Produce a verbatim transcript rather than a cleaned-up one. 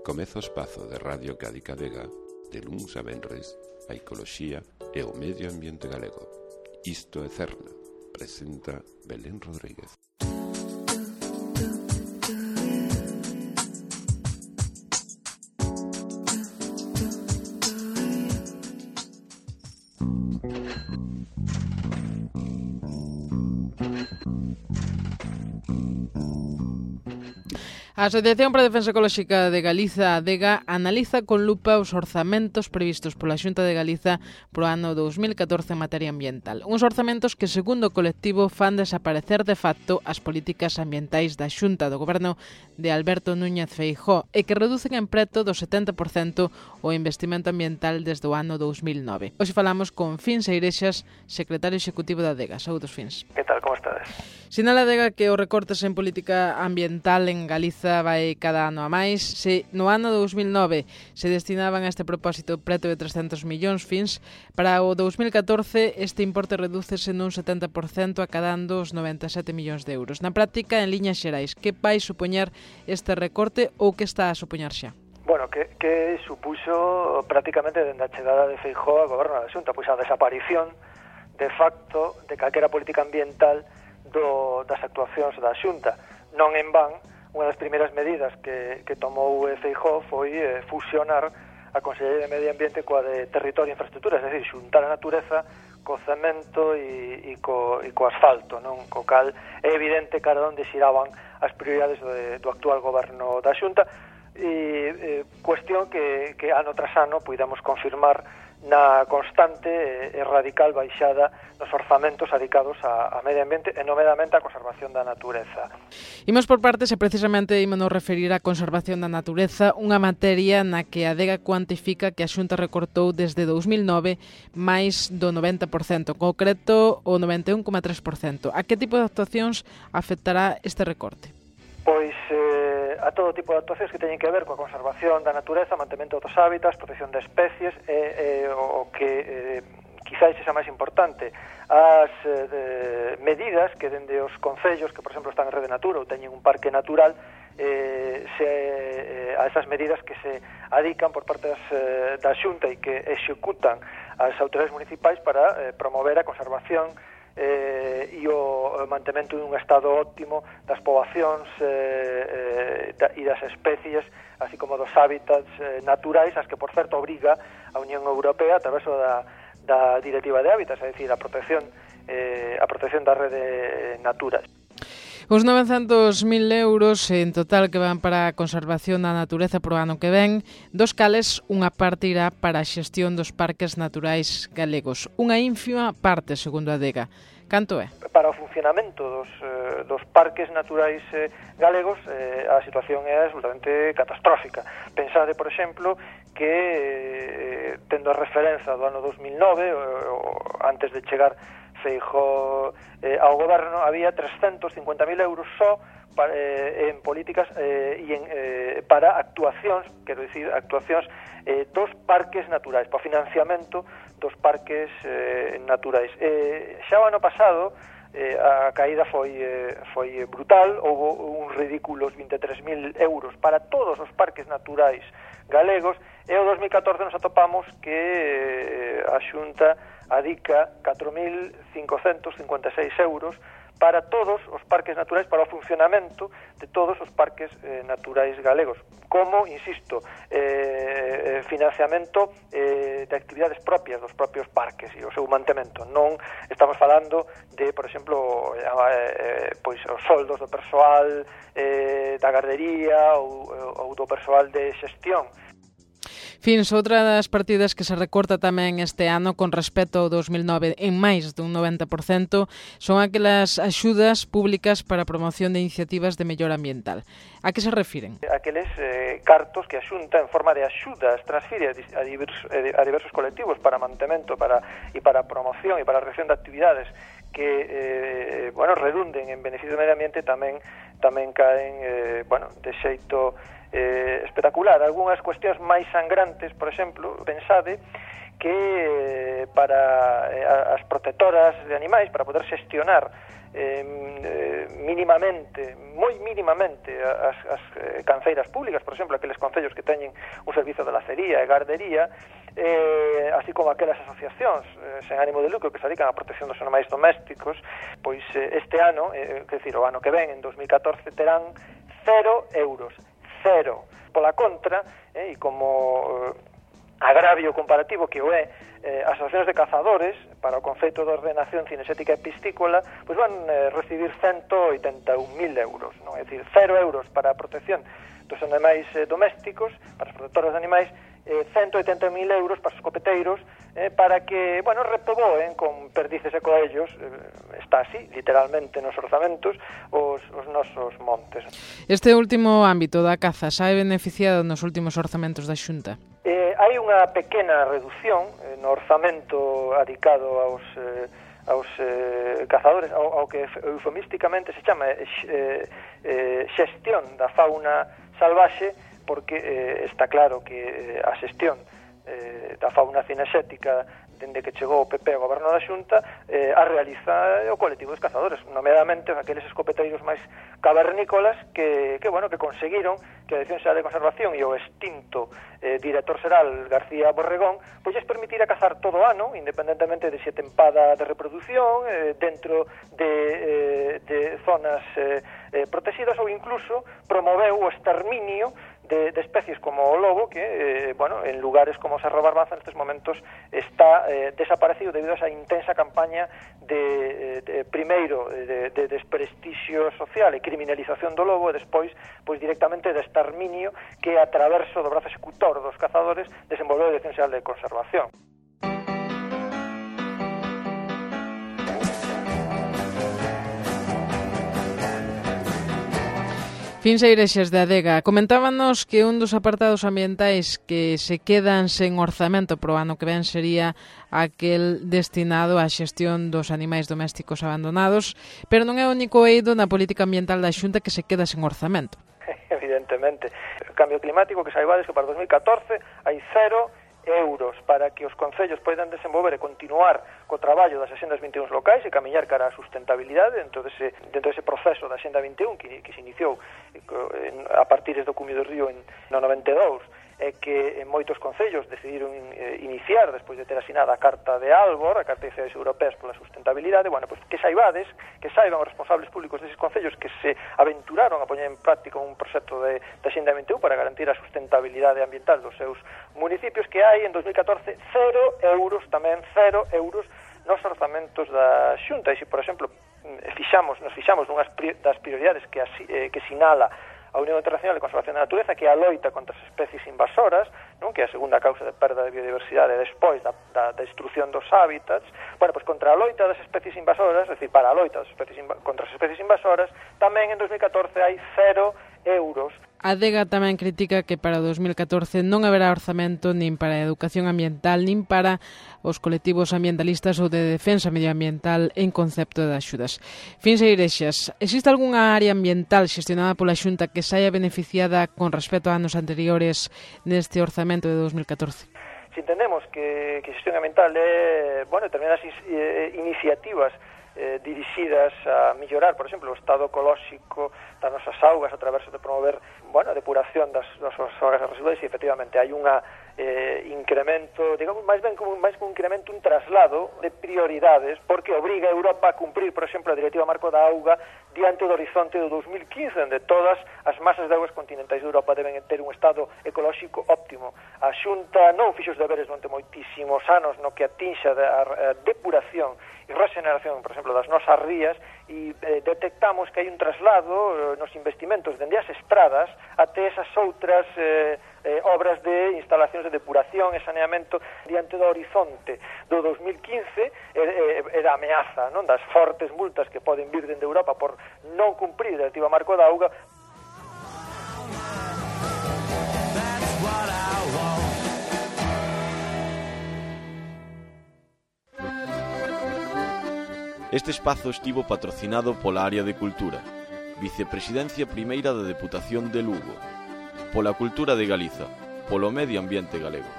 Comeza o espazo de Radio Cádiz Vega de luns a venres a ecoloxía e o medio ambiente galego. Isto é Cerna, presenta Belén Rodríguez. A Asociación para a Defensa Ecolóxica de Galiza, ADEGA, analiza con lupa os orzamentos previstos pola Xunta de Galiza pro ano dous mil catorce en materia ambiental. Uns orzamentos que, segundo o colectivo, fan desaparecer de facto as políticas ambientais da Xunta do Goberno de Alberto Núñez Feijóo e que reducen en preto do setenta por cento o investimento ambiental desde o ano dous mil nove. Hoxe falamos con Fins Eirexas, secretario executivo da ADEGA. Saúdos, Fins. Que tal, como estades? Sinala a ADEGA que os recortes en política ambiental en Galiza vai cada ano a máis. Se no ano dous mil nove se destinaban a este propósito preto de trescentos millóns, Fins, para o dous mil catorce este importe redúcese nun setenta por cento acadando os noventa e sete millóns de euros. Na práctica, en liñas xerais, que vai supoñer este recorte ou que está a supoñer xa? Bueno, que, que supuxo prácticamente dende a chegada de Feijóo ao goberno da Xunta, pois a desaparición de facto de calquera política ambiental do, das actuacións da Xunta. Non en van, unha das primeiras medidas que, que tomou Feijóo foi eh, fusionar a Consellería de Medio Ambiente coa de Territorio e Infraestructuras, é dicir, xuntar a natureza co cemento e, e, co, e co asfalto, non? Co cal é evidente cara onde xiraban as prioridades do, do actual goberno da Xunta, e eh, cuestión que, que ano tras ano puidamos confirmar na constante e radical baixada nos orzamentos adicados a, a medio ambiente e nomeadamente a conservación da natureza. Imos por partes e precisamente ímonos referir á conservación da natureza, unha materia na que a ADEGA cuantifica que a Xunta recortou desde dous mil nove máis do noventa por cento, en concreto o noventa e un coma tres por cento. A que tipo de actuacións afectará este recorte? Pois eh, a todo tipo de actuacións que teñen que ver coa conservación da natureza, mantemento dos hábitats, protección de especies e eh, o que eh, quizás sexa máis importante, as eh, medidas que dende os concellos que, por exemplo, están en Rede Natura ou teñen un parque natural, eh, se, eh, a esas medidas que se adican por parte das, eh, da Xunta e que executan as autoridades municipais para eh, promover a conservación eh, e o mantemento dun estado óptimo das poboacións eh, eh, da, e das especies, así como dos hábitats eh, naturais, as que, por certo, obriga a Unión Europea a través da, da Directiva de Hábitats, é dicir, a protección, eh, a protección da rede Natura. Os novecentos mil euros en total que van para a conservación da natureza pro ano que ven, dos cales unha parte irá para a xestión dos parques naturais galegos. Unha ínfima parte, segundo a ADEGA. Canto é? Para o funcionamento dos, eh, dos parques naturais eh, galegos, eh, a situación é absolutamente catastrófica. Pensade, por exemplo, que eh, tendo a referencia do ano dos mil nove, o, o, antes de chegar Feijóo eh, ao goberno, había trescentos cincuenta mil euros só para, eh, en políticas eh, e en, eh, para actuacións, quero dicir, actuacións eh, dos parques naturais, para o financiamento dos parques eh, naturais. Eh, xa o ano pasado eh, a caída foi, eh, foi brutal, houve uns ridículos vinte e tres mil euros para todos os parques naturais galegos, e o dos mil catorce nos atopamos que eh, a Xunta adica catro mil cincocentos cincuenta e seis euros para todos os parques naturais, para o funcionamento de todos os parques eh, naturais galegos, como, insisto, eh, financiamento eh, de actividades propias dos propios parques e o seu mantemento. Non estamos falando de, por exemplo, eh, pois os soldos do persoal eh, da gardería ou, ou do persoal de xestión. Fins, outra das partidas que se recorta tamén este ano con respecto ao dous mil nove en máis dun noventa por cento son aquelas axudas públicas para a promoción de iniciativas de mellora ambiental. A que se refiren? Aqueles eh, cartos que a Xunta en forma de axudas transfire a diversos, a diversos colectivos para mantemento para, e para promoción e para a reacción de actividades que eh, bueno, redunden en beneficio do medio ambiente, tamén tamén caen eh, bueno, de xeito eh, espectacular. Algúnas cuestións máis sangrantes, por exemplo, pensade que eh, para eh, as protectoras de animais, para poder xestionar eh, mínimamente, moi mínimamente as, as eh, canceiras públicas, por exemplo, aqueles concellos que teñen un servizo de lacería e gardería, eh, así como aquelas asociacións eh, sen ánimo de lucro que se dedican á protección dos animais domésticos, pois eh, este ano, eh, quer dizer, o ano que ven, en dos mil catorce, terán cero euros, cero. Pola contra, eh, e como eh, agravio comparativo que o é, eh, as asociacións de cazadores para o conceito de ordenación cinexética e piscícola pois van eh, recibir ciento oitenta e un mil euros, non? É dicir, cero euros para a protección dos animais eh, domésticos, para os protectores de animais, eh, ciento oitenta mil euros para os escopeteiros, eh, para que, bueno, repoboen con perdices e coellos, eh, está así, literalmente, nos orzamentos, os, os nosos montes. Este último ámbito da caza xa é beneficiado nos últimos orzamentos da Xunta? Eh, hai unha pequena reducción eh, no orzamento adicado aos, eh, aos eh, cazadores, ao, ao que eufemísticamente se chama eh, eh, xestión da fauna salvaxe, porque eh, está claro que eh, a xestión eh, da fauna cinexética dende que chegou o P P ao goberno da Xunta eh, a realiza o colectivo dos cazadores, nomeadamente aqueles escopeteiros máis cavernícolas que, que, bueno, que conseguiron que a Dirección Xeral de Conservación e o extinto eh, director xeral García Borregón pois lles permitira cazar todo o ano, independentemente de se tempada de reproducción, eh, dentro de, eh, de zonas eh, eh, protegidas, ou incluso promoveu o exterminio De, de especies como o lobo, que, eh, bueno, en lugares como Cerro Barbaza nestes momentos está eh, desaparecido debido a esa intensa campaña de, de primeiro, de, de desprestixio social e criminalización do lobo, e despois, pois directamente de exterminio que a traverso do brazo executor dos cazadores desenvolveu a Dirección Xeral de Conservación. Fins Eirexes de Adega, comentábanos que un dos apartados ambientais que se quedan sen orzamento pro ano que ven sería aquel destinado á xestión dos animais domésticos abandonados, pero non é o único eido na política ambiental da Xunta que se queda sen orzamento. Evidentemente. O cambio climático, que saibades que para dos mil catorce hai cero euros para que os concellos poidan desenvolver e continuar co traballo das Axendas vinte e un locais e camiñar cara á sustentabilidade dentro dese, dentro dese proceso da Axenda vinte e un que, que se iniciou a partir do Cumio do Río en no noventa e dous, e que en moitos concellos decidiron eh, iniciar despois de ter asinada a Carta de Aalborg, a Carta de Cidades Europeas pola Sustentabilidade. Bueno, pois que saibades, que saiban os responsables públicos deses concellos que se aventuraron a poñer en práctica un proxecto de, de Axenda vinte e un para garantir a sustentabilidade ambiental dos seus municipios, que hai en dos mil catorce cero euros, tamén cero euros nos orzamentos da Xunta. E se, por exemplo, fixamos, nos fixamos nunhas das prioridades que, así, eh, que sinala a Unión Internacional de Conservación da Natureza, que é a loita contra as especies invasoras, non, que é a segunda causa de perda de biodiversidade despois da, da destrucción dos hábitats. Bueno, pois contra a loita das especies invasoras, é dicir, para a loita das especies inva- contra as especies invasoras, tamén en dos mil catorce hai cero euros. A Adega tamén critica que para dos mil catorce non haberá orzamento nin para a educación ambiental nin para os colectivos ambientalistas ou de defensa medioambiental en concepto de axudas. Fins Eirexes, existe algunha área ambiental xestionada pola Xunta que saia beneficiada con respecto a anos anteriores neste orzamento de dos mil catorce? Si entendemos que, que xestión ambiental é, bueno, determinadas eh, iniciativas eh, dirixidas a mellorar, por exemplo, o estado ecolóxico das nosas augas a través de promover, bueno, a depuración das nosas augas residuais, e efectivamente hai unha eh, incremento, digamos, máis ben como máis como un incremento, un traslado de prioridades, porque obriga a Europa a cumprir, por exemplo, a Directiva Marco da Auga diante do horizonte do dos mil quince, onde todas as masas de augas continentais de Europa deben ter un estado ecolóxico óptimo. A Xunta non fixo os deberes durante moitísimos anos no que atinxa a depuración e regeneración, por exemplo, das nosas rías, e eh, detectamos que hai un traslado eh, nos investimentos dende as estradas até esas outras eh, eh, obras de instalacións de depuración e saneamento diante do horizonte do dos mil quince, eh, eh, era a ameaza, non, das fortes multas que poden vir dende Europa por non cumprir a Directiva Marco da Auga. Este espazo estivo patrocinado pola Área de Cultura, Vicepresidencia Primeira da Deputación de Lugo, pola Cultura de Galiza, polo Medio Ambiente Galego.